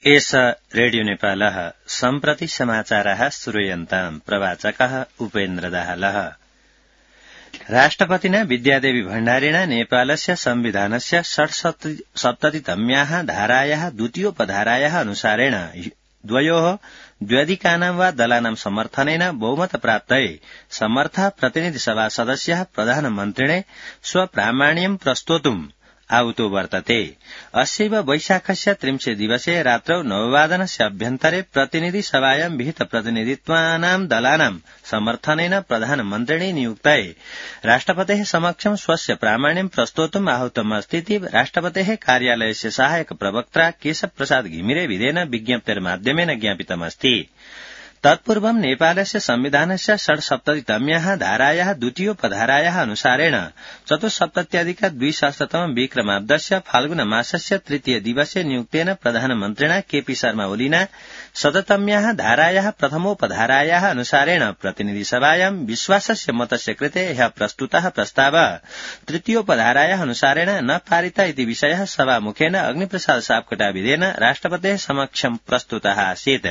एष रेडियो नेपालः सम्प्रति समाचारः श्रूयन्ताम् प्रवाचकः उपेन्द्र दाहालः। राष्ट्रपतिना विद्यादेवी भण्डारिणा नेपालस्य संविधानस्य 67तम्याः धारायाः द्वितीयोपधारायाः अनुसारेण द्वयोः द्व्यधिकानां वा दलानां समर्थनेन बहुमत प्राप्तये समर्थः प्रतिनिधिसभा सदस्यः प्रधानमन्त्रिणे स्वप्रामाण्यं प्रस्तोतुम् आहुतो वर्तते। अस्यैव वैशाखस्य 30 दिवसे रात्रौ 9:00 अभ्यन्तरे प्रतिनिधिसभायां विहित प्रतिनिधित्वानां दलानां समर्थनेन प्रधानमन्त्रिणे नियुक्तये राष्ट्रपतेः समक्षं स्वस्य प्रामाण्यं प्रस्तोतुम् आहूतमस्ति इति राष्ट्रपतेः कार्यालयस्य सहायक प्रवक्त्रा केशवप्रसाद घिमिरे विधेन विज्ञप्तेर्माध्यमेन ज्ञापितमस्ति। तत्पूर्वं नेपालस्य संविधानस्य 67तम्याः धारायाः द्वितीयोपधारायाः अनुसारेण 74+200 विक्रमाब्दस्य फाल्गुन मासस्य 3 दिवसे नियुक्तेन प्रधानमन्त्रिणा केपी शर्मा ओलीना 100तम्याः धारायाः प्रथमोपधारायाः अनुसारेण प्रतिनिधिसभायां विश्वासस्य मतस्य कृते ह्यः प्रस्तुतः प्रस्तावः तृतीयोपधारायाः अनुसारेण न पारिता इति विषयः सभामुखेन अग्निप्रसाद सापकोटाविधेन राष्ट्रपतेः समक्षं प्रस्तुतः आसीत्।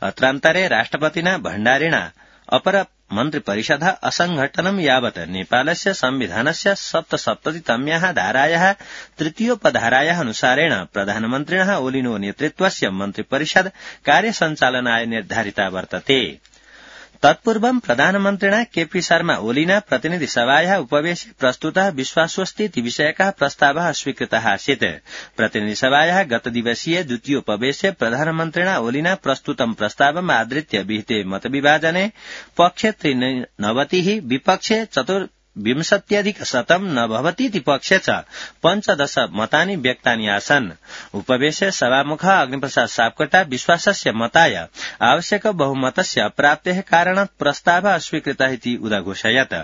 अत्रान्तरे राष्ट्रपतिना भण्डारिणा अपर मन्त्रिपरिषदः असंघटनं यावत् नेपालस्य संविधानस्य 67तम्याः धारायाः तृतीयोपधारायाः अनुसारेण प्रधानमन्त्रिणः ओलिनो नेतृत्वस्य मन्त्रिपरिषद कार्यसञ्चालनाय निर्धारिता वर्तते। तत्पूर्वं प्रधानमन्त्रिणा केपी शर्मा ओलीना प्रतिनिधिसभायाः उपवेशे प्रस्तुतः विश्वासोस्तीति विषयकः प्रस्तावः स्वीकृतः आसीत्। प्रतिनिधिसभायाः गतदिवसीय द्वितीयोपवेशे प्रधानमन्त्रिणा ओलीना प्रस्तुतं प्रस्तावम् आधृत्य विहिते मतविभाजने पक्षे 93 विपक्षे 24 न भवतीति पक्षे च 15 मतानि व्यक्तानि आसन्। उपवेशे सभामुखः अग्निप्रसाद सापकोटा विश्वासस्य मताय आवश्यक बहुमतस्य अप्राप्तेः कारणात् प्रस्तावः अस्वीकृतः इति उदघोषयत्।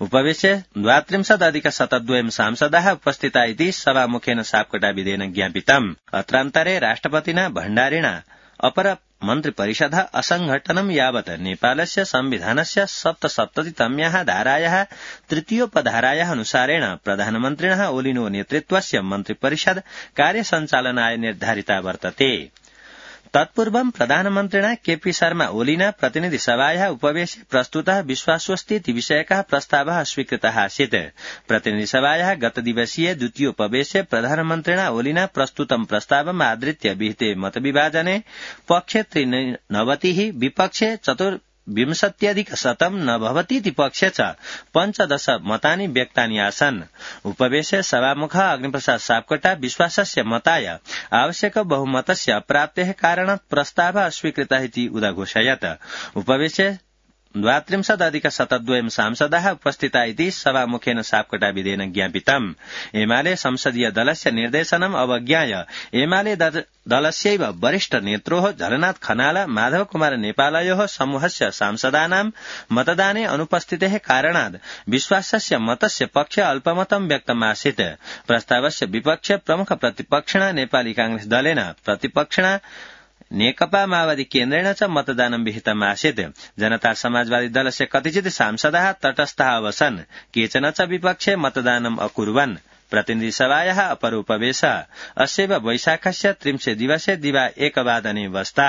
उपवेशे 32+2 सांसदाः उपस्थिता इति सभामुखेन सापकोटाविधेन ज्ञापितम्। अत्रान्तरे राष्ट्रपतिना भण्डारिणा अपर मन्त्रिपरिषदः असंघटनं यावत् नेपालस्य संविधानस्य 67तम्याः धारायाः तृतीयोपधारायाः अनुसारेण प्रधानमन्त्रिणः ओलिनो नेतृत्वस्य मन्त्रिपरिषद कार्यसञ्चालनाय निर्धारिता वर्तते। तत्पूर्वं प्रधानमन्त्रिणा केपी शर्मा ओलीना प्रतिनिधिसभायाः उपवेशे प्रस्तुतः विश्वासोस्तीति विषयकः प्रस्तावः स्वीकृतः आसीत्। प्रतिनिधिसभायाः गतदिवसीय द्वितीयोपवेशे प्रधानमन्त्रिणा ओलीना प्रस्तुतं प्रस्तावम् आधृत्य विहिते मतविभाजने पक्षे 93 विपक्षे 24 न भवतीति पक्षे च 15 मतानि व्यक्तानि आसन्। उपवेशे सभामुखः अग्निप्रसाद सापकोटा विश्वासस्य मताय आवश्यक बहुमतस्य अप्राप्तेः कारणात् प्रस्तावः अस्वीकृतः इति उदघोषयत्। उपवेशे 32+2 सांसदाः उपस्थिता इति सभामुखेन सापकोटाविधेन ज्ञापितम्। एमाले संसदीय दलस्य निर्देशनम् अवज्ञाय एमाले दलस्यैव वरिष्ठ नेत्रोः झलनाथ खनाल माधव कुमार नेपालयोः समूहस्य सांसदानां मतदाने अनुपस्थितेः कारणात् विश्वासस्य मतस्य पक्षे अल्पमतं व्यक्तमासीत्। प्रस्तावस्य विपक्षे प्रमुख प्रतिपक्षिणा नेपाली कांग्रेस दलेन प्रतिपक्षिणा नेकपा माओवादी केन्द्रेण च मतदानं विहितमासीत्। जनता समाजवादी दलस्य कतिचित् सांसदाः तटस्थः अवसन्, केचन च विपक्षे मतदानम् अकुर्वन्। प्रतिनिधिसभायाः अपर उपवेशः अस्यैव वैशाखस्य 30 दिवसे दिवा 1:00 वस्ता।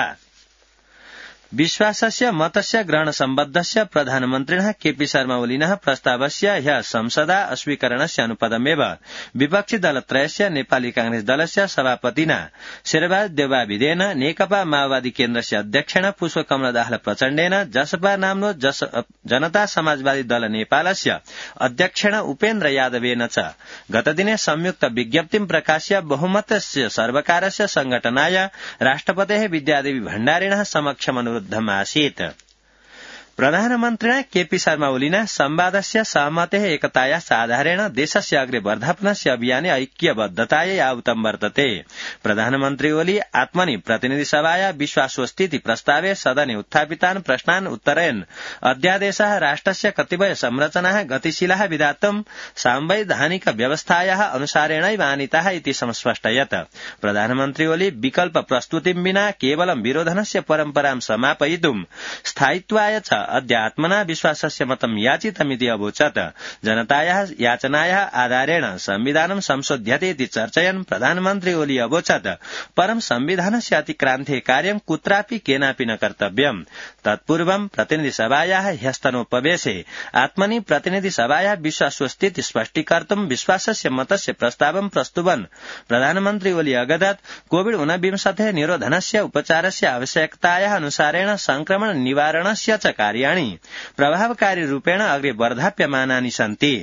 विश्वासस्य मतस्य ग्रहण सम्बद्धस्य प्रधानमन्त्रिणः केपी शर्मा ओलिनः प्रस्तावस्य ह्यः संसदा अस्वीकरणस्य अनुपदमेव विपक्षी दलत्रयस्य नेपाली कांग्रेस दलस्य सभापतिना शेरबहादुर देउवाविधेन नेकपा माओवादी केन्द्रस्य अध्यक्षेण पुष्पकमल दाहाल प्रचण्डेन जसपा नाम्नो जनता समाजवादी दल नेपालस्य अध्यक्षेण उपेन्द्र यादवेन च गतदिने संयुक्त विज्ञप्तिं प्रकाश्य बहुमतस्य सर्वकारस्य संघटनाय राष्ट्रपतेः विद्यादेवी भण्डारिणः समक्षम् आसीत्। प्रधानमन्त्रिणा केपी शर्मा ओलिना संवादस्य सहमतेः एकतायाः आधारेण देशस्य अग्रे वर्धापनस्य अभियाने ऐक्यबद्धतायै आहुतं वर्तते। प्रधानमन्त्री ओली आत्मनि प्रतिनिधिसभाया विश्वासोस्तीति प्रस्तावे सदने उत्थापितान् प्रश्नान् उत्तरयन् अध्यादेशः राष्ट्रस्य कतिपय संरचनाः गतिशीलाः विधातुं सांवैधानिक व्यवस्थायाः अनुसारेणैव आनीताः इति संस्पष्टयत्। प्रधानमन्त्री ओली विकल्प प्रस्तुतिं विना केवलं विरोधनस्य परम्परां समापयितुं स्थायित्वाय च अद्य आत्मना विश्वासस्य मतम् याचितमिति अवोचत्। जनतायाः याचनायाः आधारेण संविधानं संशोध्यते इति चर्चयन् प्रधानमन्त्री ओली अवोचत् परं संविधानस्य अतिक्रान्ते कार्यं कुत्रापि केनापि न कर्तव्यम्। तत्पूर्वं प्रतिनिधिसभायाः ह्यस्तनोपवेशे आत्मनि प्रतिनिधिसभायाः विश्वासस्थिति स्पष्टीकर्तुं विश्वासस्य मतस्य प्रस्तावं प्रस्तुवन् प्रधानमन्त्री ओली अगदत् कोविड-19 निरोधनस्य उपचारस्य आवश्यकतायाः अनुसारेण संक्रमण निवारणस्य च कार्याणि प्रभावकारी रूपेण अग्रे वर्धाप्यमानानि सन्ति।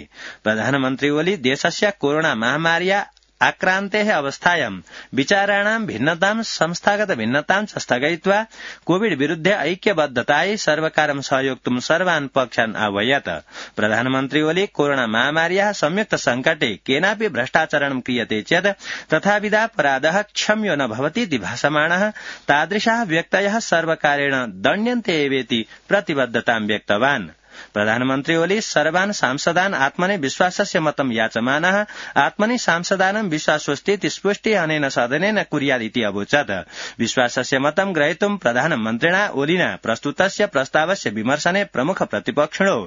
प्रधानमन्त्री ओली देशस्य कोरोना महामार्या आक्रान्तेः अवस्थायां विचाराणां भिन्नतां संस्थागत भिन्नतां च स्थगयित्वा कोविड विरुद्धे ऐक्यबद्धतायै सर्वकारं सहयोक्तुं सर्वान् पक्षान् आह्वयत्। प्रधानमन्त्री ओली कोरोना महामार्याः संयुक्त संकटे केनापि भ्रष्टाचरणं क्रियते चेत् तथाविधापराधः क्षम्यो न भवतीति भाषमाणः तादृशाः व्यक्तयः सर्वकारेण दण्ड्यन्ते एवेति प्रतिबद्धतां व्यक्तवान्। प्रधानमन्त्री ओली सर्वान् सांसदान् आत्मनि विश्वासस्य मतं याचमानः आत्मनि सांसदानां विश्वासोस्तीति स्पुष्टि अनेन सदनेन कुर्यादिति अवोचत्। विश्वासस्य मतं ग्रहीतुं प्रधानमन्त्रिणा ओलिना प्रस्तुतस्य प्रस्तावस्य विमर्शने प्रमुख प्रतिपक्षिणो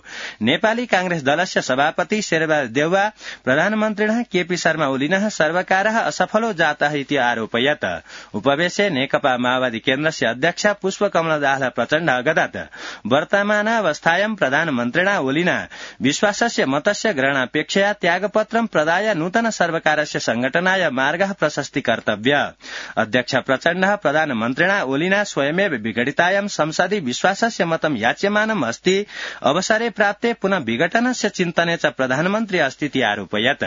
नेपाली कांग्रेस दलस्य सभापति शेरबहादुर देउवा प्रधानमन्त्रिणः केपी शर्मा ओलिनः सर्वकारः असफलो जातः इति आरोपयत्। उपवेशे नेकपा माओवादी केन्द्रस्य अध्यक्ष पुष्पकमल दाहाल प्रचण्ड अगदत् वर्तमानावस्थायां प्रधानमन्त्रिणा ओलिना विश्वासस्य मतस्य ग्रहणापेक्षया त्यागपत्रं प्रदाय नूतन सर्वकारस्य संघटनाय मार्गः प्रशस्ति कर्तव्य। अध्यक्ष प्रचण्डः प्रधानमन्त्रिणा ओलिना स्वयमेव विघटितायां संसदि विश्वासस्य मतं याच्यमानम् अस्ति अवसरे प्राप्ते पुनः विघटनस्य चिन्तने च प्रधानमन्त्री अस्तीति आरोपयत्।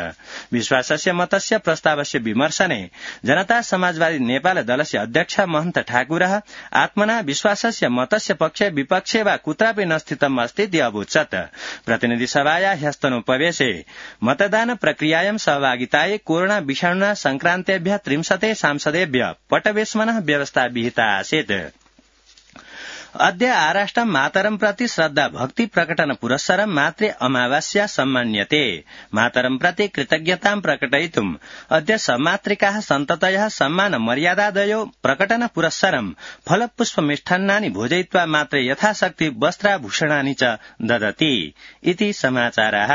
विश्वासस्य मतस्य प्रस्तावस्य विमर्शने जनता समाजवादी नेपाल दलस्य अध्यक्ष महन्त ठाकुरः आत्मना विश्वासस्य मतस्य पक्षे विपक्षे वा कुत्रापि न स्थितम् अस्ति अवोचत्। प्रतिनिधि सभाया ह्यस्तनोपवेशे मतदान प्रक्रियायां सहभागितायै कोरोना विषाणुना संक्रान्तेभ्यः 30 सांसदेभ्यः पटवेश्मनः व्यवस्था विहिता आसीत्। अद्य आराष्ट्रं मातरं प्रति श्रद्धा भक्ति प्रकटन पुरस्सरं मातृ अमावास्या सम्मान्यते। मातरं प्रति कृतज्ञतां प्रकटयितुम् अद्य सम्मातृकाः सन्ततयः सम्मान मर्यादादयो प्रकटन पुरस्सरं फलपुष्प मिष्टान्नानि भोजयित्वा मात्रे यथाशक्ति वस्त्राभूषणानि च ददति इति समाचाराः।